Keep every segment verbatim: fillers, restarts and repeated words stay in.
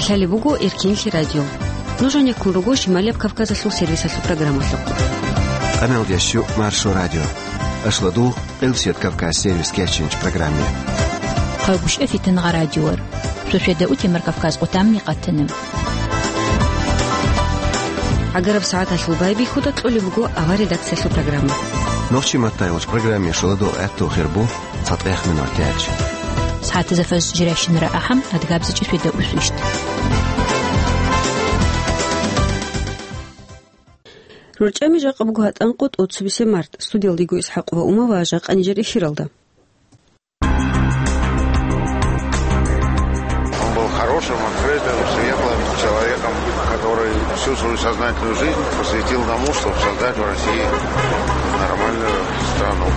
Гьале буго Эркенлъи радио. Нуж гьанеккун руго Шималияб Кавказалъул сервисалъул программалъухъ. Къаналдияс щу Маршо радио. Ашладул Къилсият Кавказ сервис кечинч программе. Хъайгушев Фитангъа радиор. Шошеда утемар Кавказ къутамни къатана. Агараб сагӀаталъул байбихьуда кьолеб буго авар редакциялъул программа. Нохчи маттайгъуч программе шуладул гӀатту хирбу. ЦатӀех минутач. СагӀатазда фаз жирайщинара ахӀам, адгабзичӀи фида усвищ. РорчӀами жакъа буго гьатӀанкъо тӀоцебесеб март. Студиялдего ИсхӀакъова Ума ва жакъа нижер эфиралда. Он был хорошим, открытым, светлым человеком, который всю свою сознательную жизнь посвятил тому, чтобы создать в России нормальную страну.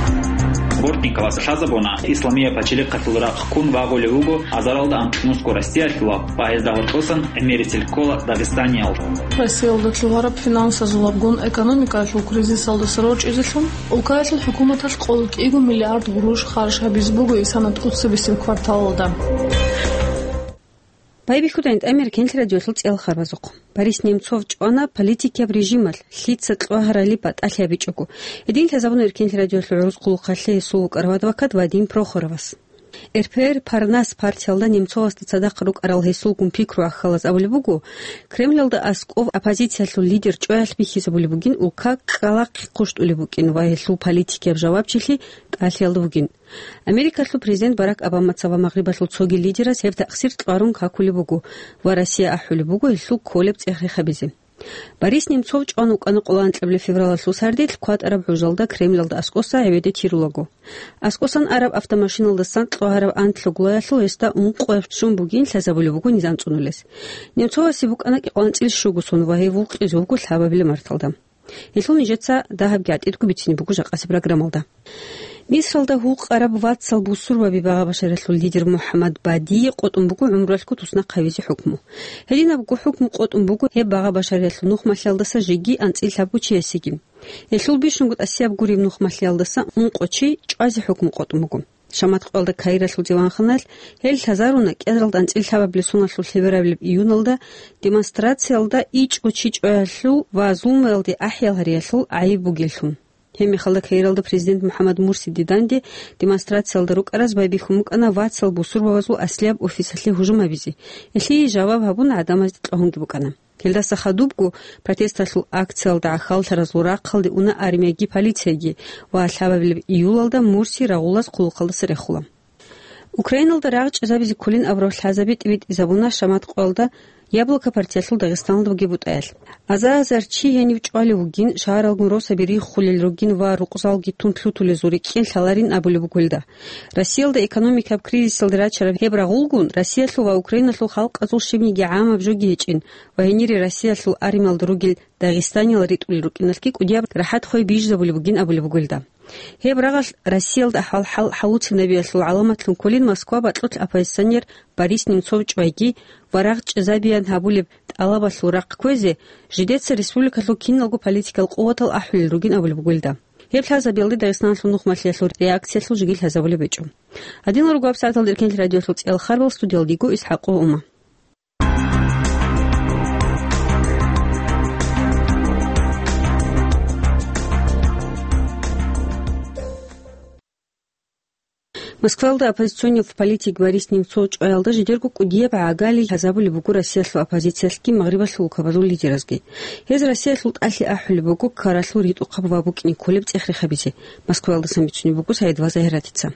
Бортниковас лъазабуна, Исламия пачалихъалъул рахъ ккун вагъулев вуго азаралда анкьнусго Россиялъул ва гьезда гьоркьосан гӀемерисел ккола Дагъистаниялда. Россиялда лъугьараб финансазулабгун экономикаялъул кризисалдаса рорчӀизелъун, улкаялъул хӀукуматалъ къоло кӀиго миллиард гъурущ харж гьабизе буго исана тӀоцебесеб кварталалда. Байбихьуда гьанже Эркенлъи радиолъул цӀеял харбазухъ. Борис Немцов чӀвана политикияб режималъ, лъица кьвагьарали батӀалъи гьабичӀого. Гьедин лъазабуна Эркенлъи радиолъул гӀурус хъулухъалъе гьесул вукӀарав адвокат Вадим Прохоровас. РПР Парнас партиялда Немцовасда цадахъ рукӀарал гьесулгун пикру гӀахьалаз абулеб буго, Кремлалда аскӀов оппозициялъул лидер чӀваялъ бихьизабулеб бугин, улка кӀкӀалахъе хъущтӀулеб букӀин ва гьелъул политикияб жавабчилъи тӀалъиялда вугин. Америкалъул президент Барак Обамаца ва Магърибалъул цоги лидераз гьеб такъсир кьварун какулеб буго ва Россия ахӀулеб буго гьелъул кколеб цӀех рехабизе. Борис Немцов чӀван вукӀана къолоанкьабилеб февралалъул сардилъ кватӀараб гӀужалда Кремлалда аскӀоса гӀебеде тирулаго. АскӀосан араб автомашиналдасан кьвагьараб анлъго гулаялъул гьесда ункъояб щун бугин лъазабулеб буго низам цӀунулес. Немцовасе букӀана кӀикъоялда анцӀила щуго сон ва гьев вукъизе вуго лъабабилеб марталда. Гьелъул нижеца дагьабги гӀатӀидго бицине буго жакъасеб программалда. Мисралда гьукъараб вацал бусурбаби багъа-башариялъул лидер МухӀаммад Бадие къотӀун буго гӀумруялъго туснахъ гьавизе хӀукму. Гьединабго хӀукму къотӀун буго гьеб багъа-башариялъул нухмалъиялдаса жеги анцӀила лъабго чиясеги. Гьелъул бищунго тӀасияб гуреб нухмалъиялдаса ункъо чи чӀвазе хӀукму къотӀун буго. Шамат къоялда Каиралъул диванханалъ гьел лъазаруна кӀиазаралда анцӀила лъабабилеб соналъул лъеберабилеб июналда демонстрациялда ичӀго чи чӀваялъул ва зулмуялде ахӀиял гьариялъул гӀайиб бугеллъун. Гьеб мехалда Каиралда президент МухӀаммад Мурси Диданде демонстрациялда рукӀараз байбихьун букӀана вацал бусурбабазул аслияб офисалъе гьужум гьабизе. Гьелъие жаваб гьабун гӀадамазде кьогьунги букӀана. Гьелдаса хадубго протесталъул акциялда гӀахьаллъаразул рахъалде уна армияги полицияги ва лъабабилеб июлалда Мурси рагъулаз хъулухъалдаса рехула. Украиналда рагъ чӀезабизе кколин абураб лъазаби тӀибитӀизабуна Шамат къоялда Яблоко партиялъул Дагъистаналда бугеб бутӀаялъ. Аза-азар чи гьенив чӀвалев вугин, шагьаралгун росаби риххулел ругин ва рукъзалги тун лъутулезул рикӀкӀин лъаларин абулеб буго гьелда. Россиялда экономикаб кризисалде рачараб гьеб рагъулгун, Россиялъул ва Украиналъул халкъазул щибниги гӀамаб жоги гьечӀин ва гьенире Россиялъул армиялда ругел дагъистаниял ритӀулел рукӀиналъги кӀудияб рахӀат хвей бижизабулеб бугин абулеб буго гьелда. Гьеб рагъалъ Россиялда ахӀвал-хӀал хӀалуцинабиялъул гӀаламатлъун кколин Москва батӀулъ оппозиционер Борис Немцов чӀвайги ва рагъ чӀезабиян гьабулеб тӀалабалъул рахъ кквезе, жидеца республикалъул киналго политикал къуватал ахӀулел ругин абулеб буго гьелда. Гьеб лъазабиялде Дагъистаналъул нухмалъиялъул реакциялъул жеги лъазабулеб гьечӀо. Гьадинал руго гьабсагӀаталда Эркенлъи радиоялъул цӀеял харбал, студиялда дего ИсхӀакъова Ума. Москвалда оппозиционный политик Борис Немцов чӀваялда жидерго кӀудияб гӀагали лъазабулеб буго Россиялъул оппозициялъги Магърибалъул улкабазул лидеразги. Гьез Россиялъул тӀалъи ахӀулеб буго ккаралъул ритӀухъаб ва букӀине кколеб цӀех рехабизе. Москвалдасан бицунеб буго Саидова Загьиратица.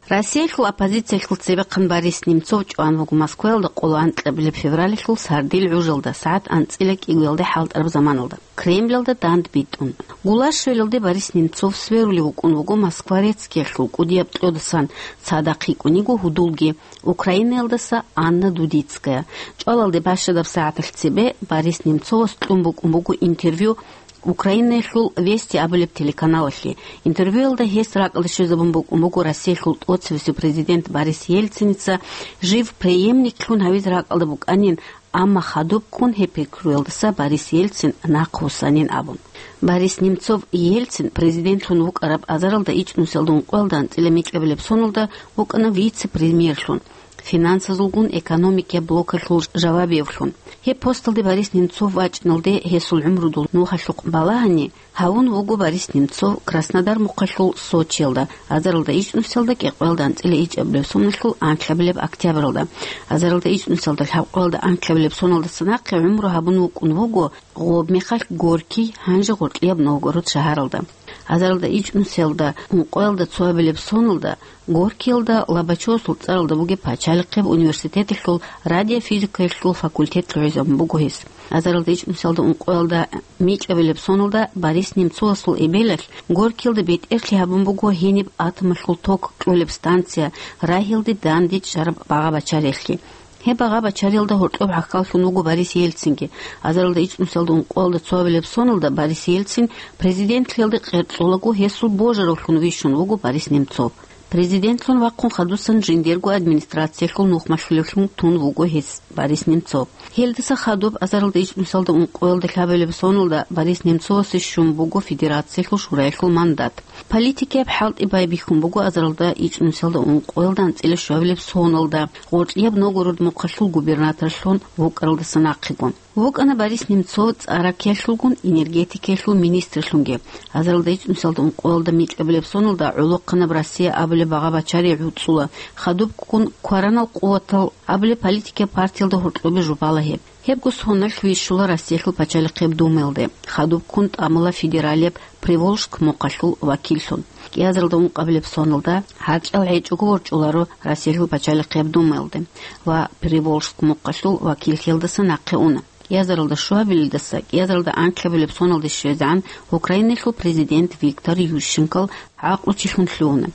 Россиялъул оппозициялъул цебехъан Борис Немцов чӀван вуго Москваялда къоло анкьабилеб февралалъул сардил гӀужалда, сагӀат анцӀила кӀигоялде хӀалтӀараб заманалда, Кремльалда дандбитӀун. Гулашвелалде Борис Немцов сверулев вукӀун вуго Москва-Рецкиялъул кӀудияб кьодасан цадахъ йикӀун йиго гьудулги, Украинаялдаса Анна Дудицкая. ЧӀвалалде бащадаб сагӀаталъ цебе Борис Немцовас кьун букӀун буго интервью Украинаялъул Вести абулеб телеканалалъе. Интервьюялда гьес ракӀалде щвезабун букӀун буго Россиялъул тӀоцевесев президент Борис Ельциница жив преемниклъун гьавизе ракӀалда букӀанин, амма хадубккун гьеб пикруялдаса Борис Ельцин нахъвуссанин абун. Борис Немцов Ельцин президентлъун вукӀараб азаралда ичӀнусиялда ункъоялда анцӀила микьабилеб соналда вукӀана вице-премьерлъун. финансазулгун экономикияб блокалъул жавабиявлъун. Гьеб посталде Борис Немцов вачӀиналде гьесул гӀумрудул нухалъухъ балагьани, гьавун вуго Борис Немцов Краснодар мухъалъул Сочиялда, азаралда ичӀнусиялда кӀикъоялда анцӀила ичӀабилеб соналъул анлъабилеб октябралда, азаралда ичӀнусиялда лъабкъоялда анлъабилеб соналдаса нахъе гӀумру гьабун вукӀун вуго гъоб мехалъ Горький, гьанже гъоркьияб Новгород шагьаралда. Азаралда ичӀнусиялда ункъоялда цоабилеб соналда Горькиялда Лобачевасул цӀаралда бугеб пачалихъеб университеталъул радиофизикаялъул факультет лъугӀизабун буго гьес. Азаралда ичӀнусиялда ункъоялда микӀабилеб соналда Борис Немцовасул эбелалъ Горькиялда бетӀерлъи гьабун буго гьениб атомалъул ток кьолеб станция, рагьиялде данде чӀараб багъа-бачариялъе. Гьеб багъа-бачариялда гьоркьоб гӀахьаллъун вуго Борис Ельцинги. Азаралда ичӀнусиялда ункъоялда цоабилеб соналда Борис Ельцин президентлъиялде къерцӀолаго гьесул божаравлъун вищун вуго Борис Немцов. Президентлъун вахъун хадусан жиндирго администрациялъул нухмалъулевлъун тун вуго гьес Борис Немцов. Гьелдаса хадуб азаралда ичӀнусиялда ункъоялда лъабабилеб соналда Борис Немцовасе щун буго Федерациялъул Шураялъул мандат. Политикияб хӀалтӀи байбихьун буго азаралда ичӀнусиялда ункъоялда анцӀила щуабилеб соналда, гъоркьияб Новгород мухъалъул губернаторлъун вукӀаралдаса нахъего. ВукӀана Борис Немцов цӀа-раккиялъулгун энергетикаялъул министрлъунги. Азаралда ичӀнусиялда ункъоялда микӀабилеб соналда гӀолохъанаб Россия абулеб багъа-бачари гӀуцӀула, хадубккун кваранал къуватал абулеб политикияб партиялда гьоркьобе жубала гьеб. Гьебго соналъ вищула Россиялъул пачалихъеб Думаялде, хадубккун тӀамула федералияб Приволжск мухъалъул вакиллъун. КӀиазаралда ункъабилеб соналда гьаркьал гьечӀого ворчӀуларо Россиялъул пачалихъеб Думаялде ва Приволжск мухъалъул вакиллъиялдаса нахъе уна. КӀиазаралда щуабилелдаса кӀиазаралда анлъабилеб соналде щвезегӀан Украинаялъул президент Виктор Ющенкол гӀакълучилъун лъугьуна.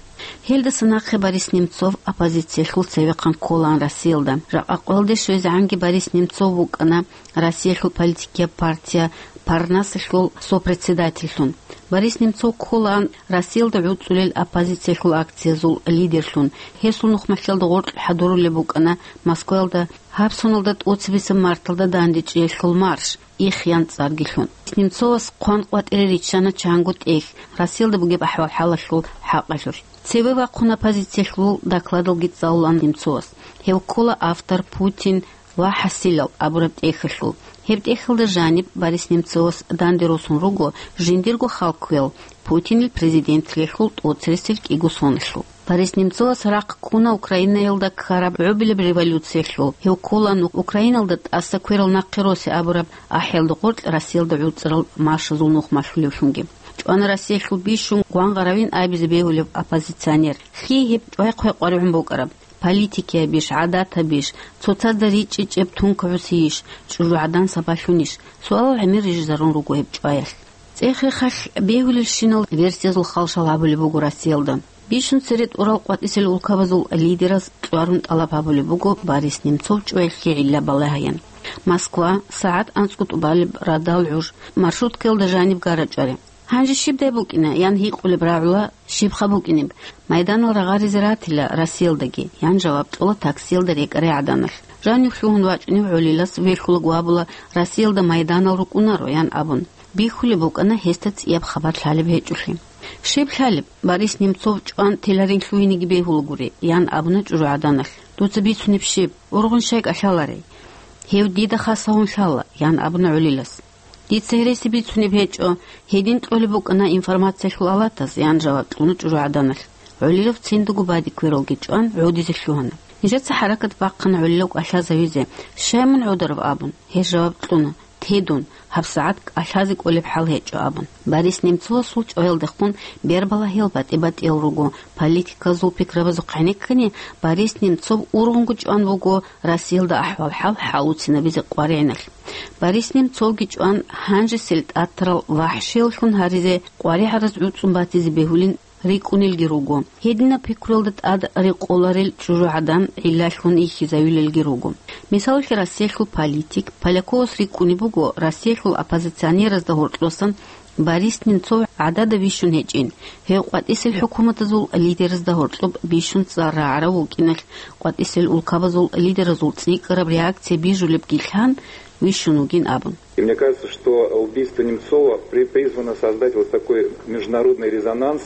Гьелдаса нахъе Борис Немцов оппозициялъул цевехъан кколаан Россиялда. Жакъа къоялде щвезегӀанги Борис Немцов вукӀана Россиялъул политикияб партия Парнасалъул сопредседательлъун. Борис Немцов кколаан Россиялда гӀуцӀулел оппозициялъул акциязул лидерлъун. Гьесул нухмалъиялда гъоркь хӀадурулеб букӀана Москваялда гьаб соналда тӀоцебесеб марталда дандечӀеялъул марш, «Их» ян цӀарги лъун. Немцовас хъван къватӀире риччана чанго тӀехь Россиялда бугеб ахӀвал-хӀалалъул хӀакъалъулъ. Цеве вахъун оппозициялъул докладалги цӀалулаан Немцовас. Гьев ккола автор «Путин ва хӀасилал» абураб тӀехьалъул. Гьеб тӀехьалда жаниб Борис Немцовас данде росун руго жиндирго хал кквел, Путинил президентлъиялъул тӀоцересел кӀиго соналъул. Борис Немцовас рахъ ккуна Украинаялда ккараб гӀубилаб революциялъул. Гьев кколаан Украиналда тӀаса кверал нахъе росе абураб ахӀиялда гъоркь Россиялда гӀуцӀарал маршазул нухмалъулевлъунги. ЧӀвана Россиялъул бищун гвангъаравин абизе бегьулев оппозиционер. Лъие гьеб чӀвай-хъвай къваригӀун букӀараб? Политикиябищ, гӀадатабищ, цоцазда ричӀчӀичӀеб тункагӀусийищ, чӀужугӀадан сабаблъунищ? Суалал гӀемер рижизарун руго гьеб чӀваялъ. ЦӀех-рехалъ бегьулелщинал версиязул халшал гьабулеб буго Россиялда. Бищун цере тӀурал къватӀисел улкабазул лидераз кьварун тӀалаб гьабулеб буго Борис Немцов чӀваялъе гӀилла балагьаян. Москва, сагӀат анцӀго тӀубалеб радал гӀуж, маршруткаялда жаниб гара чӀвари. «Гьанже щибдай букӀина?» – ян гьикъулеб рагӀула, «Щибха букӀинеб? Майданал рагъаризе ратила Россиялдаги», – ян жаваб кьола таксиялда рекӀарай гӀаданалъ. Жанив лъугьун вачӀунев гӀолилас вехьулаго абула, Россиялда майданал рукӀунаро, ян абун. Бихьулеб букӀана гьесда цӀияб хабар лъалеб гьечӀолъи. «Щиб лъалеб? Борис Немцов чӀван теларин лъугьинеги бегьулагури», – ян абуна чӀужугӀаданалъ. «Дуца бицунеб щиб? Ургъун щай кӀалъаларей?» «Гьев дида хасавун лъала», – ян абуна гӀолилас. «Дица гьереси бицунеб гьечӀо, гьедин кьолеб букӀана информациялъул алатаз», – ян жаваб кьуна чӀужугӀаданалъ. ГӀолилав циндаго баде квералги чӀван гӀодизе лъугьана. «Нижеца хӀаракат бахъана гӀолилав кӀалъазавизе. Щай мун гӀодарав?» – абун. Гьез жаваб кьуна: «Те дун, гьабсагӀат кӀалъазе кӀолеб хӀал гьечӀо», – абун. Борис Немцовасул чӀваялдехун бербалагьиял батӀи-батӀиял руго. Политиказул пикрабазухъ гӀенеккани, Борис Немцов ургъунго чӀван вуго Россиялда ахӀвал-хӀал хӀалуцинабизе къваригӀиналъ. Борис Немцовги чӀван гьанжесел тӀатарал вахӀшияллъун гьаризе къваригӀараз гӀуцӀун батизе бегьулин рикӀкӀунелги руго. Гьединаб пикруялда тӀад рекъоларел чӀужугӀадан гӀиллалъун ихьизавилелги руго. Мисалалъе, Россиялъул политик Поляковас рикӀкӀунеб буго Россиялъул оппозиционеразда гьоркьосан Борис Немцов гӀадада вищун гьечӀин. Гьев къватӀисел хӀукуматазул лидеразда гьоркьоб бищун цӀар рагӀарав вукӀиналъ, къватӀисел улкабазул лидеразул цӀикӀкӀараб реакция бижулебги лъан вищун вугин абун. И мне кажется, что убийство Немцова при-, призвано создать вот такой международный резонанс.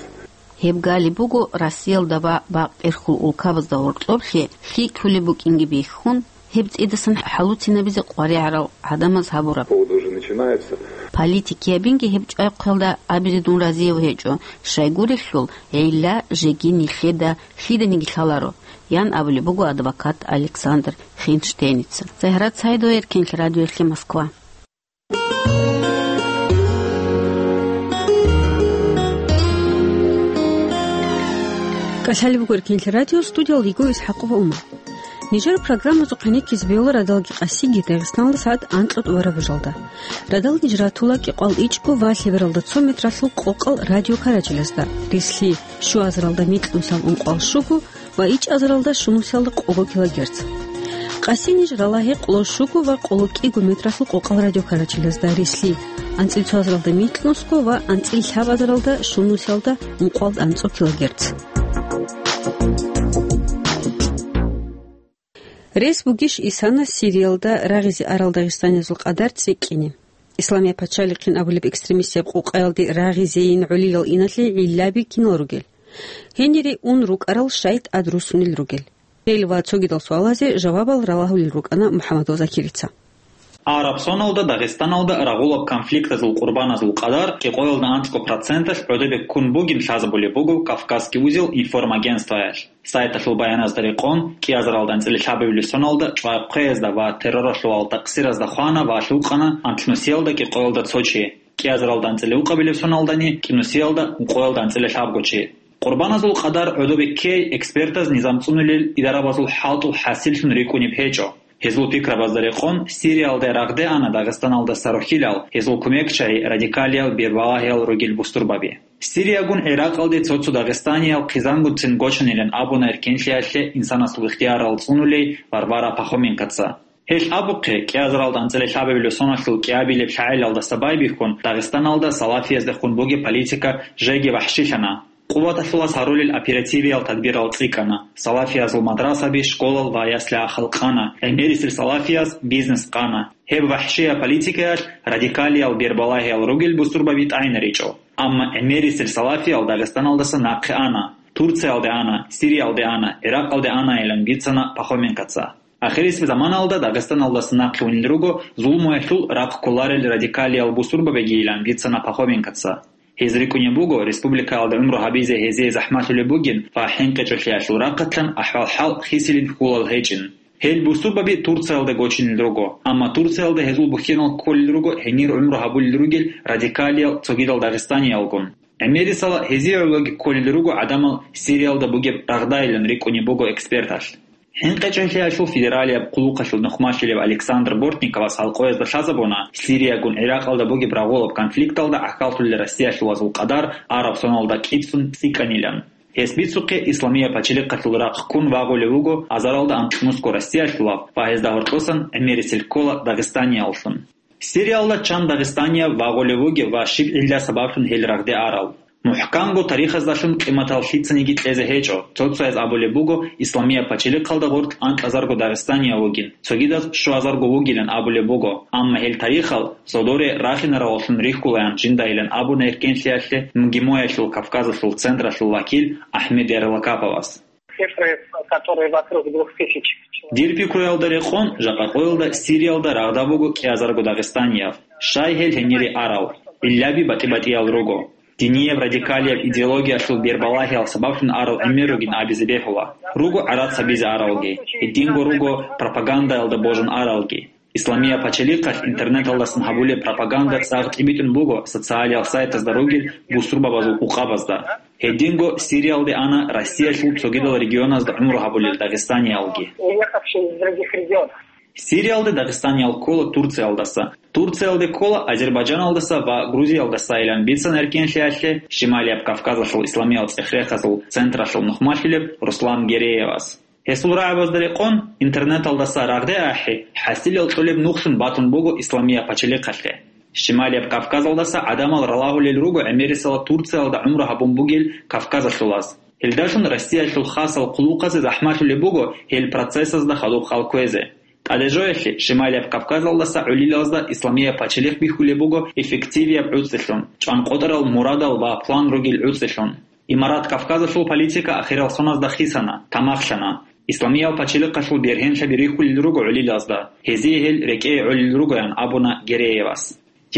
Гьеб гали буго Россиялда ва бакъ-берхьул улкабазда гьоркьоблъи лъикӀлъулеб букӀинги бихьун, гьеб цӀидасан хӀалуцинабизе къваригӀарал гӀадамаз гьабураб. Повод уже начинается. Политикиябинги гьеб чӀвай-хъвелда абизе дун разияв гьечӀо, щайгурелъул гӀилла жеги нилъеда лъиданиги лъаларо, ян абулеб буго адвокат Александр Хинштейница. Загьрат Саидова, Эркенлъ радиоялъе, Москва. КӀалъалеб буго Эркенлъи радио, студиялда йиго ИсхӀакъова Умар. Нижер программазухъе нехъизе бегьула радалги къасиги Дагъистаналда сагӀат анкьа тӀубараб бажалда. Радал ниж ратула кӀикъоялда ичӀго ва лъебералда цо метралъул къокъал радиокарачелазда, рислъи щуазаралда микьнусиялда ункъоялда щуго ва ичӀазаралда щунусиялда къого килогерц. Къаси ниж рала гьекъолда щуго ва къоло кӀиго метралъул къокъал радиокарачелазда, рислъи анцӀила цоазаралда микьнусго ва анцӀила лъабазаралда щунусиялда ункъоялда анцӀго килогерц. Рес бугищ исана Сириялда рагъизе арал дагъистаниязул къадар цӀикӀкӀине? Исламияб пачалихъин абулеб экстремистияб къукъаялде рагъизейин гӀолилал иналъе гӀиллаби кинал ругел? Гьенире ун рукӀарал щай тӀад руссунел ругел? Гьел ва цогидал суалазе жавабал ралагьулел рукӀана МухӀаммадов Закирица. Араб соналда Дагъистаналда рагъулаб конфликтазул къурбаназул къадар кӀикъоялда анцӀго проценталъ гӀодобе ккун бугин лъазабулеб буго Кавказский узел информагентствоялъ. Сайталъул баяназда рекъон, кӀиазаралда анцӀила лъабабилеб соналда чӀвай-хъвеязда ва терроралъул такъсиразда хвана ва лъукъана анкьнусиялда кӀикъоялда цо чи, кӀиазаралда анцӀила укъабилеб соналдани кӀинусиялда ункъоялда анцӀила лъабго чи. Къурбаназул къадар гӀодобе ккей экспертаз низам цӀунулел идарабазул хӀалтӀул хӀасиллъун рикӀкӀунеб гьечӀо. Гьезул пикрабазда рекъон, Сириялда рагъде ана Дагъистаналдаса рохьилал, гьезул кумекчагӀи радикалиял бербалагьиял ругел бусурбаби. Сириягун ГӀиракъалде цо-цо дагъистаниял хъизангутцин гочанилан абуна эркенлъиялъе инсанасул ихтиярал цӀунулей Варвара Пахоменкоца. Гьелъ абухъе, кӀиазаралда анцӀила лъабабилеб соналъул кӀиабилеб лъагӀелалдаса байбихьун, Дагъистаналда салафияздехун бугеб политика жеги вахӀшилъана. Къуваталъулас гьарулел оперативиял тадбирал цӀикӀкӀана, салафиязул мадрасаби, школал ва яслягӀа халкъана, гӀемерисел салафияз бизнес къана. Гьеб вахӀшияб политикаялъ радикалиял бербалагьиял ругел бусурбаби тӀагӀинаричӀо. Амма гӀемерисел салафиял Дагъистаналдаса нахъе ана, Турциялде ана, Сириялде ана, ГӀиракъалде анайилан бицана Пахоменкоца. Ахирисеб заманалда Дагъистаналдаса нахъе унел руго зулмуялъул рахъ кколарел радикалиял бусурбабигийилан бицана Пахоменкоца. Гьез рикӀкӀунеб буго, республикаялда гӀумру гьабизе гьезие захӀмалъулеб бугин ва хӀинкъичӀолъиялъул рахъалъан ахӀвал-хӀал хисилин хьулал гьечӀин. Гьел бусурбаби Турциялда гочинел руго, амма Турциялда гьезул бухьенал кколел руго гьенир гӀумру гьабулел ругел радикалиял цогидал дагъистаниялгун. ГӀемерисела гьезие гӀологи кколел руго гӀадамал Сириялда бугеб рагъдайилан рикӀкӀунеб буго эксперталъ. ХӀинкъичӀолъиялъул федералияб хъулухъалъул нухмалъулев Александр Бортниковас гьалкъоязда лъазабуна, Сириягун ГӀиракъалда бугеб рагъулаб конфликталда гӀахьаллъулел россиялъулазул къадар араб соналда кӀицӀцӀун цӀикӀкӀанилан. Гьес бицухъе, Исламияб пачалихъалъул рахъ ккун вагъулев вуго азаралда анкьнусго россиялъулав ва гьезда гьоркьосан гӀемерисел ккола дагъистанияллъун. Сириялда чан дагъистанияв вагъулев вугев ва щиб гӀилла сабаблъун гьел рагъде арал? МухӀканго тарихаздалъун къиматал лъицаниги кьезе гьечӀо. Цо-цояз абулеб буго, Исламияб пачалихъалда гъоркь анкьазарго дагъистанияв вугин, цогидаз щуазарго вугилан абулеб буго. Амма гьел тарихал зодоре рахинараваллъун рихьулаян жиндайилан абуна эркенлъиялъе МГИМО-ялъул Кавказалъул централъул вакил Ахмед Ярлакаповас. Цифры, которые вокруг двух тысяч человек. Дир пикруялда рекъон, жакъа къоялда Сириялда рагъда буго кӀиазарго дагъистанияв. Щай гьел гьенире арал? Гьелаби батӀи-батӀиял руго. Динияб радикалияб идеологиялъул бербалагьиял сабаблъун арал гӀемер ругин абизе бегьула. Руго гӀарац гьабизе аралги, гьединго руго пропагандаялда божун аралги. Исламияб пачалихъалъ интернеталдасан гьабулеб пропаганда цӀакъ тӀибитӀун буго социалиял сайтазда ругел бусурбабазул къукъабазда. Гьединго Сириялде ана Россиялъул цогидал регионазда гӀумру гьабулел дагъистаниялги. Уехавшие из других регионов. Сириялде дагъистаниял ккола Турциялдаса, Турциялде ккола Азербайджаналдаса ва Грузиялдасайилан бицана эркенлъиялъе Шималияб Кавказалъул исламиял цӀех-рехазул централъул нухмалъулеб Руслан Гереевас. Гьесул рагӀабазда рекъон, интернеталдаса рагъде ахӀи, хӀасилал кьолеб нухлъун батун буго Исламияб пачалихъалъе. Шималияб Кавказалдаса гӀадамал ралагьулел руго гӀемерисела Турциялда гӀумру гьабун бугел кавказалъулаз. Гьелдалъун Россиялъул хасал хъулухъазе захӀмалъулеб буго гьел процессазда хадуб хал кквезе. ТӀадежоялъе Шималияб Кавказалдаса гӀолилазда Исламияб пачалихъ бихьулеб буго эффективияб гӀуцӀилъун, чӀванкъотӀарал мурадал ва план ругел гӀуцӀилъун. Имарат Кавказалъул политика ахирал соназда хисана, тамахлъана. Исламиял пачалихъалъул бергьенлъаби рихьулел руго гӀолилазда, гьезие гьел рекӀее гӀолел ругоян абуна Гереевас.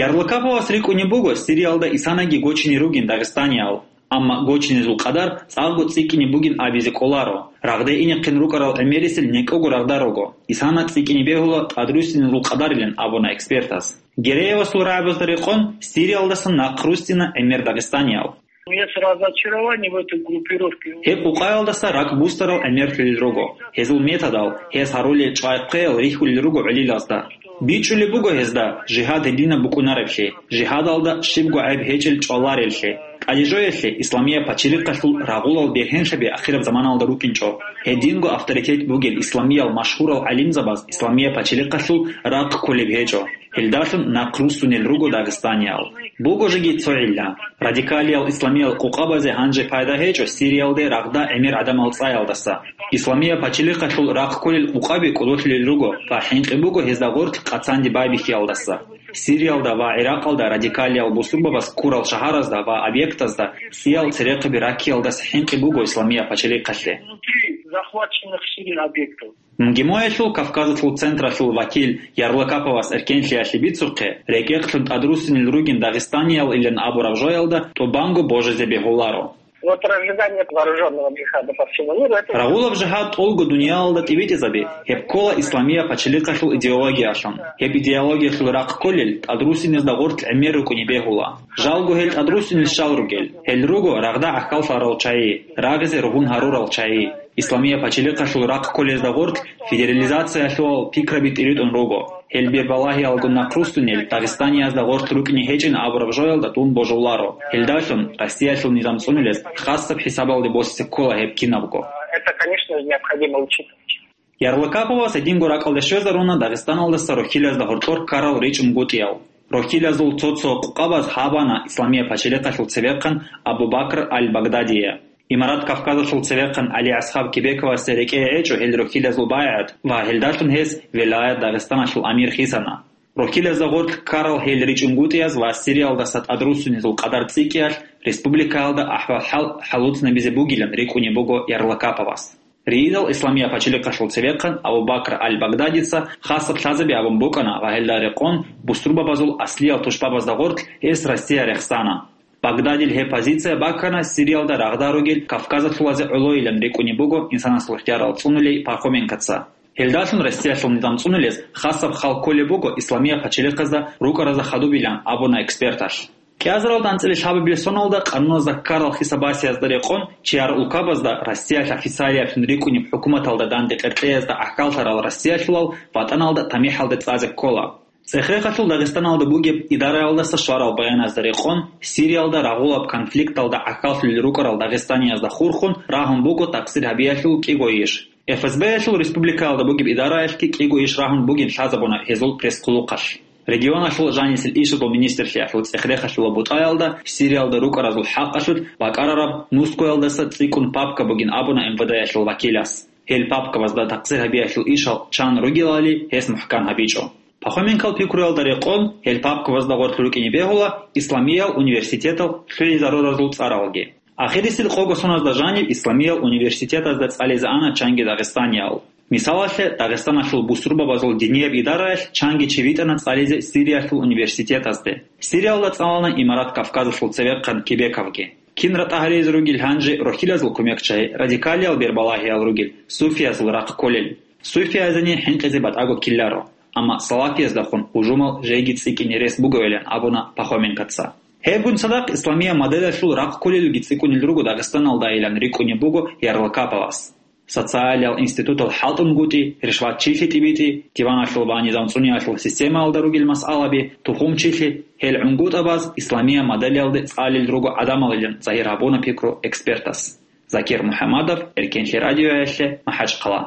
Ярлыкаповас рикӀкӀунеб буго Сириялда исанаги гочине ругин дагъистаниял, амма гочинезул къадар цӀакъго цӀикӀкӀине бугин абизе кӀоларо, рагъде инехъин рукӀарал гӀемерисел некӀого рагъда руго, исана цӀикӀкӀине бегьула тӀадруссинезул къадарилан абуна экспертас. Гереевасул рагӀабазда рекъон, Сириялдасан нахъ руссина гӀемер дагъистаниял. Есть разочарование в этой группировке. Гьеб къукъаялдаса ракӀ бусарал гӀемерлъулел руго. Гьезул методал, гьез гьарулел чӀвай-хъвеял рихьулел руго гӀолилазда. БичӀчӀулеб буго гьезда, жигьад гьединаб букӀунареблъи, жигьадалда щибго гӀайб гьечӀел чӀвалареллъи. ТӀадежоялъе исламиял пачалихъалъул рагъулал бергьенлъаби ахираб заманалда рукӀинчӀо. Гьединго авторитет бугел исламиял машгьурал гӀалимзабаз исламиял пачалихъалъул рахъ кколеб гьечӀо. Гьелдалъун нахъ руссунел руго дагъистаниял. Буго жеги цо гӀилла. Радикалиял исламиял къукъабазе гьанже пайда гьечӀо Сириялде рагъда гӀемер гӀадамал цӀаялдаса. Исламиял пачалихъалъул рахъ кколел къукъаби кӀодолъулел руго ва хӀинкъи буго гьезда гъорлъ къацанде байбихьиялдаса. Сириялда ва ГӀиракъалда радикалиял бусурбабаз ккурал шагьаразда ва объектазда сиял церехъаби раккиялдаса хӀинкъи буго исламиял пачалихъалъе. Внутри захваченных Сирией объектов. МГИМОялъул Кавказалъул централъул вакил Ярлыкаповас эркенлъиялъе бицухъе, рекӀекълъун тӀадруссинел ругин дагъистаниялилан абураб жоялда тӀубанго божизе бегьуларо. Вот разжигание вооружённого джихада по всему миру, это... Рагъулаб жигьад тӀолго дуниялалда тӀибитӀизаби, гьеб ккола исламияб пачалихъалъул идеологиялъун. Гьеб идеологиялъул рахъ кколел тӀадруссинезда гъорлъ гӀемер рукӀине бегьула. Жалго гьел тӀадруссинел щал ругел, гьел руго рагъда гӀахьаллъарал чагӀи, рагъизе ругьун гьарурал чагӀи. Исламияб пачалихъалъул рахъ кколезда гъорлъ федерализациялъул пикраби тӀиритӀун руго. Гьел бербалагьиялгун нахъ руссунел Дагъистаниязда гъорлъ рукӀине гьечӀин абураб жоялда дун божуларо. Гьелдалъун Россиялъул низам цӀунулес хасаб хӀисабалде босизе ккола гьеб кинабго. Это, конечно, необходимо учитывать. Ярлыкаповас гьединго ракӀалде щвезаруна Дагъистаналдаса рохьилазда гьоркьор ккарал ричӀунгутӀиял. Рохьилазул цо-цо къукъабаз гьабана Исламияб пачалихъалъул цевехъан Абу-Бакр аль-Багдадие. Имарат Кавказалъул цевехъан ГӀали-АсхӀаб Кебековасе рекӀее гӀечӀо гьел рохьилазул байгӀат ва гьелдалъун гьес вилаят Дагъистаналъул амир хисана. Рохьилазда гъорлъ ккарал гьел ричӀунгутӀияз ва Сириялдаса тӀадруссунезул къадар цӀикӀкӀиялъ республикаялда ахӀвал-хӀал хӀалуцӀнабизе бугилан рикӀкӀунеб буго Ярлыкаповас. Риидал Исламияб пачалихъалъул цевехъан Абу-Бакр аль-Багдадица хасаб лъазаби абун букӀана ва гьелда рекъон бусурбабазул аслиял тушбабазда гъорлъ гьес Россия рехсана. Багдадил гьеб позиция баккана Сириялда рагъда ругел кавказалъулазе гӀолойилан рикӀкӀунеб буго инсанасул хӀярал цӀунулей Пархоменкоца. Гьелдалъун Россиялъул низам цӀунулес хасаб хал кколеб буго Исламияб пачалихъазда рукӀаразда хадубилан абуна эксперталъ. КӀиазаралда анцӀила лъабабилеб соналда къануназда ккарал хисабасиязда рекъон чияр улкабазда Россиялъ официалиаблъун рикӀкӀунеб хӀукуматалда данде къеркьеязда гӀахьаллъарал Россиялъулал ватӀаналда тамихӀалде цӀазе ккола. ЦӀехерехалъул Дагъистаналда бугеб идараялдаса щварал баяназда рекъон, Сириялда рагъулаб конфликталда гӀахьаллъулел рукӀарал дагъистаниязда хурхун рагьун буго такъсир гьабиялъул кӀиго иш. ФСБялъул республикаялда бугеб идараялъги кӀиго иш рагьун бугин лъазабуна гьезул пресс-хъулухъалъ. Регионалъул жанисел ишазул министрлъиялъул цӀехерехалъула бутӀаялда Сириялда рукӀаразул хӀакъалъулъ бакӀарараб нускоялдаса цӀикӀкӀун папка бугин абуна МВД-ялъул вакилас. Гьел папкабазда такъсир гьабиялъул ишал чан ругелали гьес мухӀкан гьабичӀо. Пахоменкал пикруялда рекъон, гьел папкабазда гъорлъ рукӀине бегьула исламиял университетал лъугӀизаруразул цӀаралги. Ахирисел къого соназда жаниб исламиял университетазда цӀализе ана чанги дагъистаниял. Мисалалъе, Дагъистаналъул бусурбабазул динияб идараялъ чанги чи витӀана цӀализе Сириялъул университетазде. Сириялда цӀалана Имарат Кавказалъул цевехъан Кебековги. Кин ратӀа гьаризе ругел гьанже рохьилазул кумекчагьи, радикалиял бербалагьиял ругел, суфиязул рахъ кколел. Суфиязени хӀинкъизе батӀаго ккеларо, амма салафияздахун гьужумал жеги цӀикӀкӀине рес бугевилан абуна Пахоменкоца. Гьебгун цадахъ исламияб моделалъул рахъ кколелги цӀикӀкӀунел руго Дагъистаналдайилан рикӀкӀунеб буго Ярлыкаповас. Социалиял институтал хӀалтӀунгутӀи, ришватчилъи тӀибитӀи, диваналъул ва низам цӀуниялъул системаялда ругел масъалаби, тухумчилъи, гьел гӀунгутӀабаз исламияб моделалде цӀалел руго гӀадамалилан загьир гьабуна пикру экспертас. Закир МухӀаммадов, Эркенлъи радиоялъе, МахӀачхъала.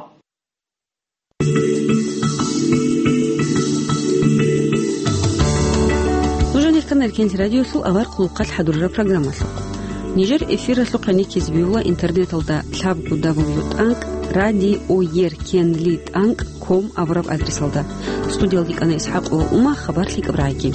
Нуж гьанир ккана Эркенлъи радиолъул авар хъулухъалъ хӀадурараб программалъухъ. Нижер эфиралъухъ гьаниккизе бегьула интернеталда лъабго дабл ю тӀанкӀ радиоер кенли тӀанкӀ ком абураб адресалда. Студиялде кӀана ИсхӀакъова Ума, хабар лъикӀаб рагӀиги.